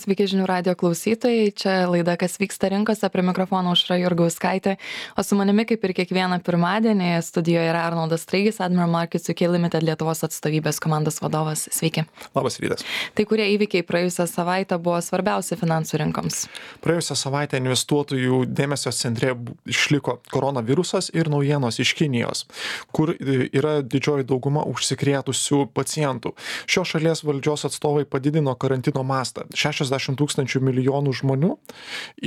Sveiki žinių radio klausytojai, čia laida Kas vyksta rinkose, prie mikrofono Aušra Jurgauskaitė, o su manimi kaip ir kiekvieną pirmadienį studijoje yra Arnoldas Straigis, Admiral Markets UK Limited Lietuvos atstovybės komandos vadovas. Sveiki. Labas rytas. Tai kurie įvykiai praėjusią savaitę buvo svarbiausi finansų rinkoms? Praėjusią savaitę investuotojų dėmesio centre išliko koronavirusas ir naujienos iš Kinijos, kur yra didžioji dauguma užsikrėtusių pacientų. Šios šalies valdžios atstovai padidino karantino mastą. 60 tūkstančių milijonų žmonių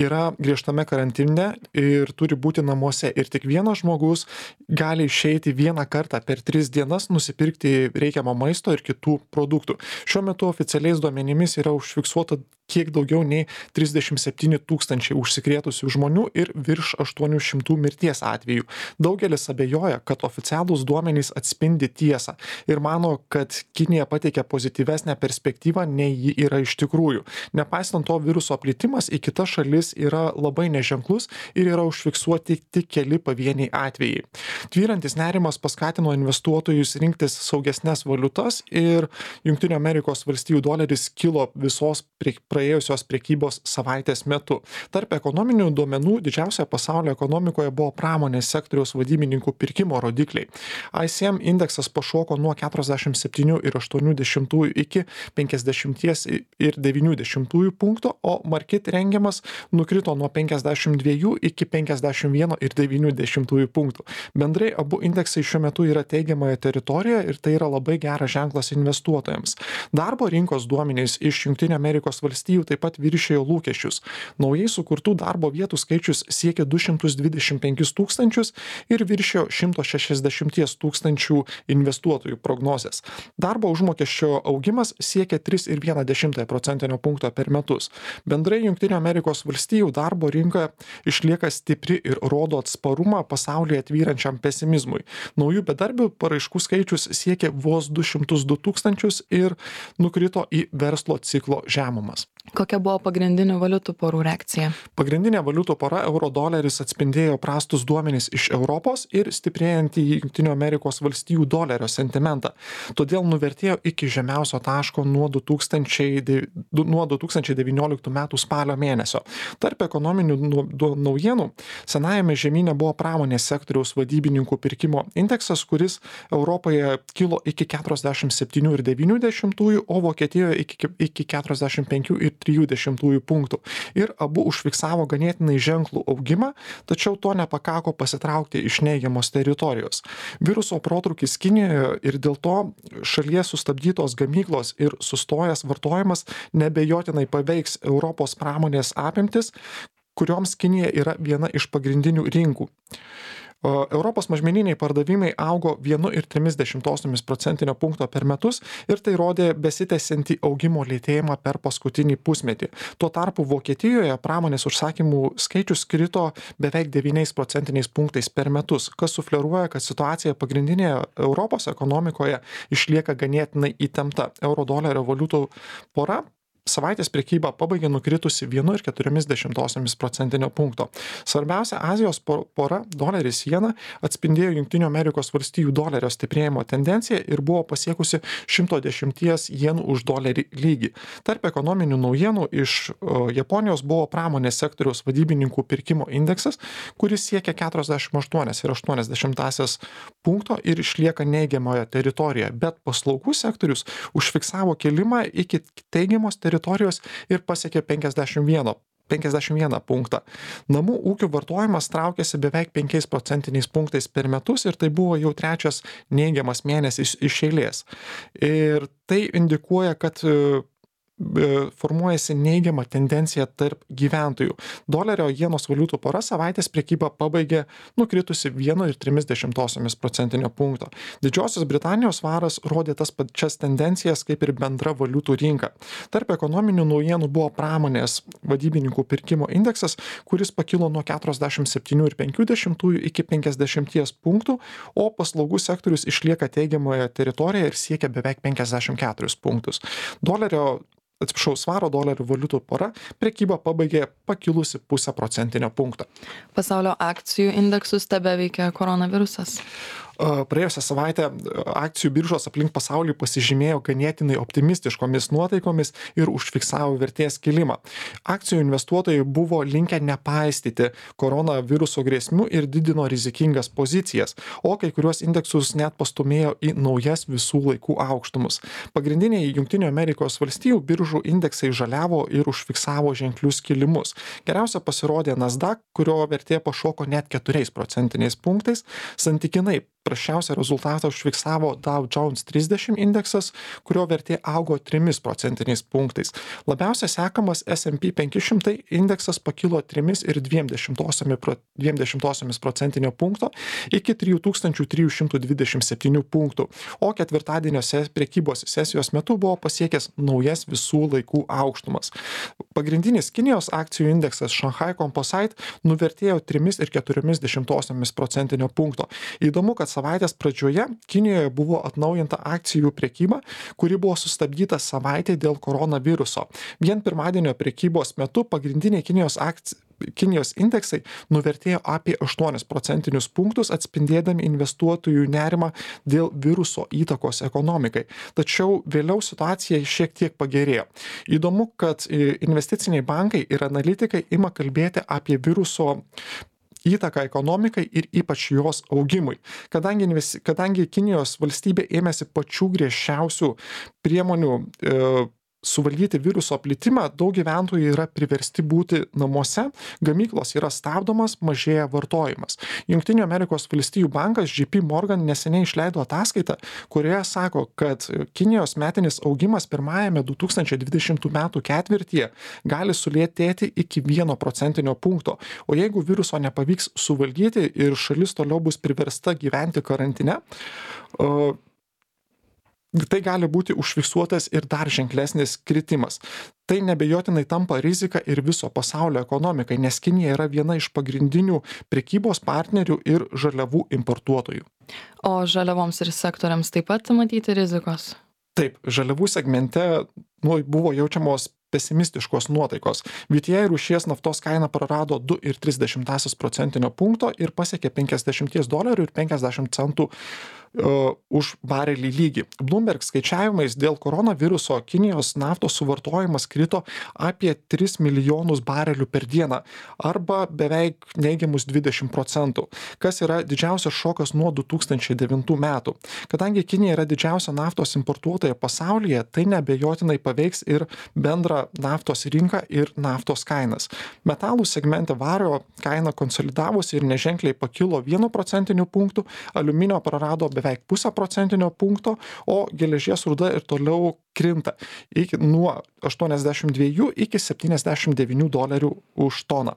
yra griežtame karantine ir turi būti namuose. Ir tik vienas žmogus gali išeiti vieną kartą per 3 dienas nusipirkti reikiamą maisto ir kitų produktų. Šiuo metu oficialiais duomenimis yra užfiksuota kiek daugiau nei 37 tūkstančiai užsikrėtusių žmonių ir virš 800 mirties atvejų. Daugelis abejoja, kad oficialūs duomenys atspindi tiesą ir mano, kad Kinija pateikia pozityvesnę perspektyvą, nei ji yra iš tikrųjų. Nepaisant to, viruso plitimas į kitas šalis yra labai neženklus ir yra užfiksuoti tik keli pavieniai atvejai. Tvyrantis nerimas paskatino investuotojus rinktis saugesnes valiutas ir Jungtinių Amerikos valstijų doleris kilo visos praėjusios prekybos savaitės metu. Tarp ekonominių duomenų didžiausia pasaulio ekonomikoje buvo pramonės sektoriaus vadybininkų pirkimo rodikliai. ICM indeksas pašoko nuo 47,8 iki 50,9 punkto, o Markit rengiamas nukrito nuo 52 iki 51,9 punktų. Bendrai abu indeksai šiuo metu yra teigiamoje teritorijoje ir tai yra labai geras ženklas investuotojams. Darbo rinkos duomenys iš Jungtinių Amerikos valstijų taip pat viršijo lūkesčius. Naujai sukurtų darbo vietų skaičius siekia 225 tūkstančius ir viršijo 160 tūkstančių investuotojų prognozes. Darbo užmokesčio augimas siekia 3,1 procentinio punkto per metus. Bendrai Jungtinių Amerikos valstijų darbo rinka išlieka stipri ir rodo atsparumą pasaulyje tvyrančiam pesimizmui. Naujų bedarbių paraiškų skaičius siekia vos 202 tūkstančius ir nukrito į verslo ciklo žemumas. Kokia buvo pagrindinių valiutų porų reakcija? Pagrindinė valiutų pora euro-doleris atspindėjo prastus duomenys iš Europos ir stiprėjantį Jungtinių Amerikos valstijų dolerio sentimentą. Todėl nuvertėjo iki žemiausio taško nuo 2019 metų spalio mėnesio. Tarp ekonominių naujienų senajame žemyne buvo pramonės sektoriaus vadybininkų pirkimo indeksas, kuris Europoje kilo iki 47,9, o Vokietijoje iki 45,3 punktų. Ir abu užfiksavo ganėtinai ženklų augimą, tačiau to nepakako pasitraukti iš neigiamos teritorijos. Viruso protrūkis Kinijoje ir dėl to šalyje sustabdytos gamyklos ir sustojęs vartojimas nebejotinai paveiks Europos pramonės apimtis, kurioms Kinija yra viena iš pagrindinių rinkų. Europos mažmeniniai pardavimai augo 1,3 procentinio punkto per metus ir tai rodė besitęsiantį augimo lėtėjimą per paskutinį pusmetį. Tuo tarpu Vokietijoje pramonės užsakymų skaičius krito beveik 9 procentiniais punktais per metus, kas sufleruoja, kad situacija pagrindinėje Europos ekonomikoje išlieka ganėtinai įtempta. Euro-dolerio valiutų pora savaitės prekyba pabaigė nukritusi 1,4 procentinio punkto. Svarbiausia Azijos pora doleris jena atspindėjo Jungtinių Amerikos valstijų dolerio stiprėjimo tendenciją ir buvo pasiekusi 110 jenų už dolerį lygį. Tarp ekonominių naujienų iš Japonijos buvo pramonės sektoriaus vadybininkų pirkimo indeksas, kuris siekia 48,8 punkto ir išlieka neigiamoje teritorijoje, bet paslaugų sektorius užfiksavo kilimą iki teigiamos teritorijos ir pasiekė 51 punktą. Namų ūkių vartojimas traukėsi beveik 5 procentiniais punktais per metus ir tai buvo jau trečias neigiamas mėnesis iš eilės. Ir tai indikuoja, kad formuojasi neigiama tendencija tarp gyventojų. Dolerio jenos valiutų pora savaitės prekybą pabaigė nukritusi 1,3 procentinio punkto. Didžiosios Britanijos svaras rodė tas pačias tendencijas kaip ir bendra valiutų rinka. Tarp ekonominių naujienų buvo pramonės vadybininkų pirkimo indeksas, kuris pakilo nuo 47,5 iki 50 punktų, o paslaugų sektorius išlieka teigiamoje teritorijoje ir siekia beveik 54 punktus. Svaro dolerio valiutų pora prekybą pabaigė pakilusi 0,5 procentinio punkto. Pasaulio akcijų indeksus tebeveikia koronavirusas? Praėjusią savaitę akcijų biržos aplink pasaulį pasižymėjo ganėtinai optimistiškomis nuotaikomis ir užfiksavo vertės kilimą. Akcijų investuotojai buvo linkę nepaistyti koronaviruso grėsmių ir didino rizikingas pozicijas, o kai kuriuos indeksus net pastumėjo į naujas visų laikų aukštumus. Pagrindiniai Junktinių Amerikos valstijų biržų indeksai žaliavo ir užfiksavo ženklius kilimus. Geriausia pasirodė Nasdaq, kurio vertė pašoko net 4 procentiniais punktais. Santykinai prasčiausią rezultatą užfiksavo Dow Jones 30 indeksas, kurio vertė augo 3 procentiniais punktais. Labiausiai sekamas S&P 500 indeksas pakilo 3,2 procentinio punkto iki 3327 punktų, o ketvirtadienio prekybos sesijos metu buvo pasiekęs naujas visų laikų aukštumas. Pagrindinis Kinijos akcijų indeksas Shanghai Composite nuvertėjo 3,4 procentinio punkto. Įdomu, kad savaitės pradžioje Kinijoje buvo atnaujinta akcijų prekyba, kuri buvo sustabdyta savaitę dėl koronaviruso. Vien pirmadienio prekybos metu pagrindiniai Kinijos indeksai nuvertėjo apie 8 procentinius punktus, atspindėdami investuotojų nerimą dėl viruso įtakos ekonomikai. Tačiau vėliau situacija šiek tiek pagerėjo. Įdomu, kad investiciniai bankai ir analitikai ima kalbėti apie viruso įtaką ekonomikai ir ypač jos augimui. Kadangi Kinijos valstybė ėmėsi pačių griežčiausių priemonių suvaldyti viruso plitimą, daug gyventojų yra priversti būti namuose, gamyklos yra stabdomas, mažėja vartojimas. Jungtinių Amerikos valstijų bankas JP Morgan neseniai išleido ataskaitą, kurioje sako, kad Kinijos metinis augimas pirmajame 2020 metų ketvirtyje gali sulėtėti iki 1 procentinio punkto, o jeigu viruso nepavyks suvaldyti ir šalis toliau bus priversta gyventi karantine, tai gali būti užfiksuotas ir dar ženklesnis kritimas. Tai nebejotinai tampa rizika ir viso pasaulio ekonomikai, nes Kinija yra viena iš pagrindinių prekybos partnerių ir žaliavų importuotojų. O žaliavoms ir sektoriams taip pat matyti rizikos? Taip, žaliavų segmente buvo jaučiamos pesimistiškos nuotaikos. VTI rūšies naftos kaina prarado 2,3 procentinio punkto ir pasiekė $50.50 už barelį lygį. Bloomberg skaičiavimais dėl koronaviruso Kinijos naftos suvartojimas krito apie 3 milijonus barelių per dieną arba beveik neigiamus 20%, kas yra didžiausias šokas nuo 2009 metų. Kadangi Kinija yra didžiausia naftos importuotoja pasaulyje, tai neabejotinai paveiks ir bendrą naftos rinką ir naftos kainas. Metalų segmente vario kaina konsolidavosi ir neženkliai pakilo 1 procentiniu punktu, aliuminio prarado beveik 0,5 procentinio punkto, o geležies rūda ir toliau krinta nuo 82 iki $79 už toną.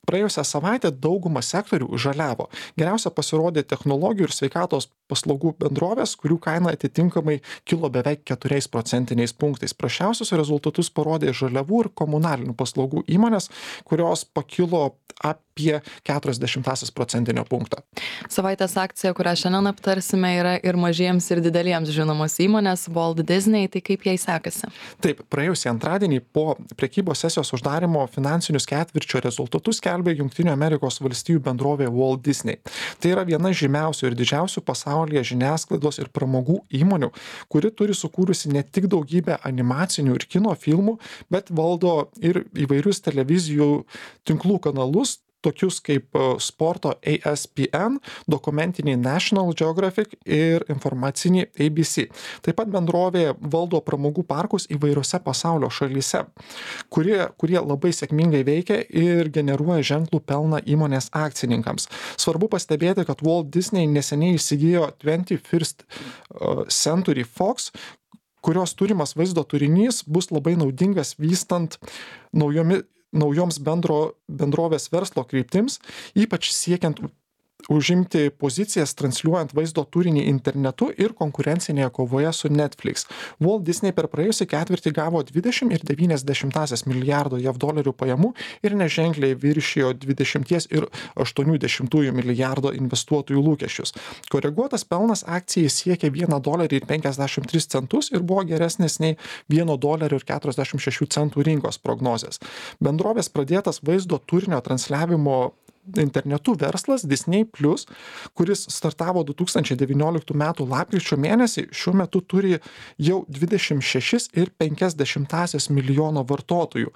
Praėjusią savaitę dauguma sektorių žaliavo. Geriausia pasirodė technologijų ir sveikatos paslaugų bendrovės, kurių kaina atitinkamai kilo beveik 4 procentiniais punktais. Prasčiausius rezultatus parodė žaliavų ir komunalinių paslaugų įmonės, kurios pakilo apie 0,4 procentinio punkto. Savaitės akcija, kurią šiandien aptarsime, yra ir mažiems ir dideliems žinomos įmonės Walt Disney, tai kaip jai sekasi? Taip, praėjusį antradienį po prekybos sesijos uždarimo finansinius ketvirčio rezultatus skelbė Jungtinių Amerikos valstijų bendrovė Walt Disney. Tai yra viena žymiausių ir didžiausių pasaulyje žiniasklaidos ir pramogų įmonių, kuri turi sukūrusi ne tik daugybę animacinių ir kino filmų, bet valdo ir įvairius televizijų tinklų kanalus, tokius kaip sporto ESPN, dokumentinį National Geographic ir informacinį ABC. Taip pat bendrovė valdo pramogų parkus įvairiose pasaulio šalyse, kurie labai sėkmingai veikia ir generuoja ženklų pelną įmonės akcininkams. Svarbu pastebėti, kad Walt Disney neseniai įsigijo 21st Century Fox, kurios turimas vaizdo turinys bus labai naudingas vystant naujoms bendrovės verslo kryptims, ypač siekiant užimti pozicijas transliuojant vaizdo turinį internetu ir konkurencinėje kovoje su Netflix. Walt Disney per praėjusį ketvirtį gavo $20,9 milijardo JAV pajamų ir neženkliai viršijo $20,8 milijardo investuotojų lūkesčius. Koreguotas pelnas akcijai siekė $1,53 ir buvo geresnis nei $1,46 rinkos prognozės. Bendrovės pradėtas vaizdo turinio transliavimo internetu verslas Disney+, kuris startavo 2019 m. lapkričio mėnesį, šiuo metu turi jau 26,5 milijono vartotojų.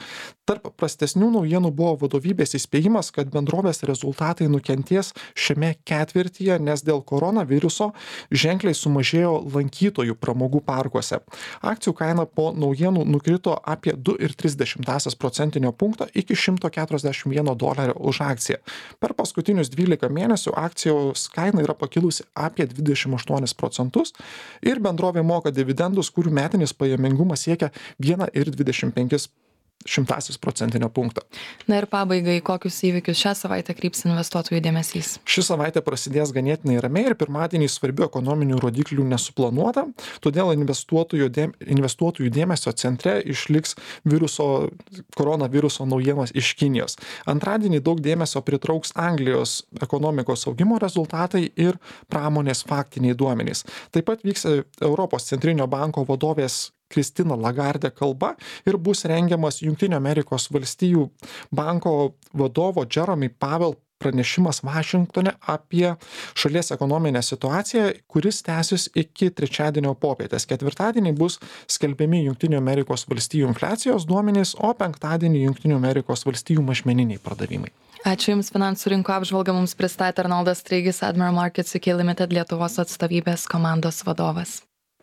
Tarp prastesnių naujienų buvo vadovybės įspėjimas, kad bendrovės rezultatai nukenties šiame ketvirtyje, nes dėl koronaviruso ženkliai sumažėjo lankytojų pramogų parkuose. Akcijų kaina po naujienų nukrito apie 2,3 procentinio punkto iki $141 už akciją. Per paskutinius 12 mėnesių akcijos kaina yra pakilusi apie 28% ir bendrovė moka dividendus, kurių metinis pajamingumas siekia 1,25 procentinio punkto. Na ir pabaigai, kokius įvykius šią savaitę kryps investuotojų dėmesys? Ši savaitė prasidės ganėtinai ramiai ir pirmadienį svarbių ekonominių rodiklių nesuplanuota, todėl investuotojų dėmesio centre išliks koronaviruso naujienos iš Kinijos. Antradienį daug dėmesio pritrauks Anglijos ekonomikos augimo rezultatai ir pramonės faktiniai duomenys. Taip pat vyks Europos centrinio banko vadovės Kristina Lagarde kalba ir bus rengiamas Jungtinių Amerikos valstijų banko vadovo Jeremy Powell pranešimas Vašingtone apie šalies ekonominę situaciją, kuris tęsis iki trečiadienio popietės. Ketvirtadienį bus skelbiami Jungtinių Amerikos valstijų infliacijos duomenys, o penktadienį Jungtinių Amerikos valstijų mažmeniniai pardavimai. Ačiū Jums, finansų rinko apžvalgą mums pristatė Arnoldas Straigis, Admiral Markets UK Limited Lietuvos atstovybės komandos vadovas.